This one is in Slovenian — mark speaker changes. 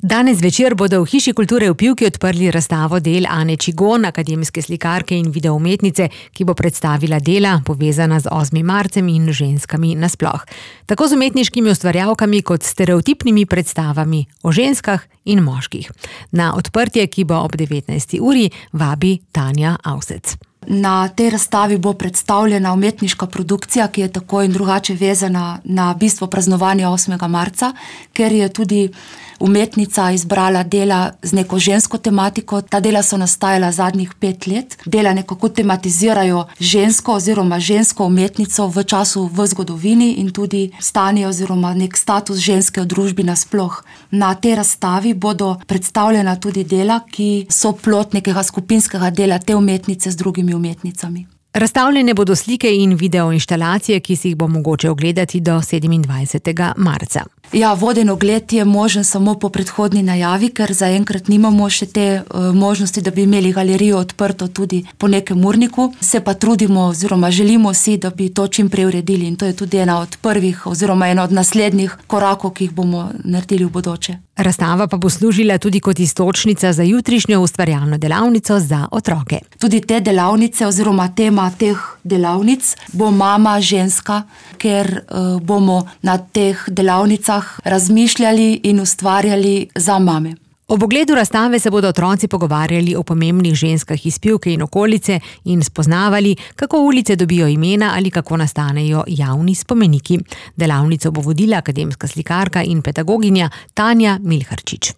Speaker 1: Danes zvečer bodo v Hiši kulture v Pivki odprli razstavo del Ane Čigon, akademske slikarke in videoumetnice, ki bo predstavila dela, povezana z 8. marcem in ženskami nasploh. Tako z umetniškimi ustvarjalkami kot stereotipnimi predstavami o ženskah in moških. Na odprtje, ki bo ob 19. uri, vabi Tanja Avsec.
Speaker 2: Na tej razstavi bo predstavljena umetniška produkcija, ki je tako in drugače vezana na bistvo praznovanja 8. marca, ker je tudi umetnica izbrala dela z neko žensko tematiko. Ta dela so nastajala zadnjih 5 let. Dela nekako tematizirajo žensko oziroma žensko umetnico v času v zgodovini in tudi stanje oziroma nek status ženske v družbi nasploh. Na tej razstavi bodo predstavljena tudi dela, ki so plod nekega skupinskega dela te umetnice z drugimi umetnicami.
Speaker 1: Razstavljene bodo slike in videoinštalacije, ki si jih bo mogoče ogledati do 27. marca.
Speaker 2: Ja, voden ogled je možen samo po predhodni najavi, ker zaenkrat nimamo še te možnosti, da bi imeli galerijo odprto tudi po nekem urniku. Se pa trudimo oziroma želimo si, da bi to čim prej uredili in to je tudi ena od prvih oziroma ena od naslednjih korakov, ki jih bomo naredili v bodoče.
Speaker 1: Razstava pa bo služila tudi kot iztočnica za jutrišnjo ustvarjalno delavnico za otroke.
Speaker 2: Tudi te delavnice oziroma tema teh delavnic bo mama ženska, ker bomo na teh delavnicah razmišljali in ustvarjali za mame.
Speaker 1: Ob ogledu razstave se bodo otroci pogovarjali o pomembnih ženskah iz Pivke in okolice in spoznavali, kako ulice dobijo imena ali kako nastanejo javni spomeniki. Delavnico bo vodila akademska slikarka in pedagoginja Tanja Milharčič.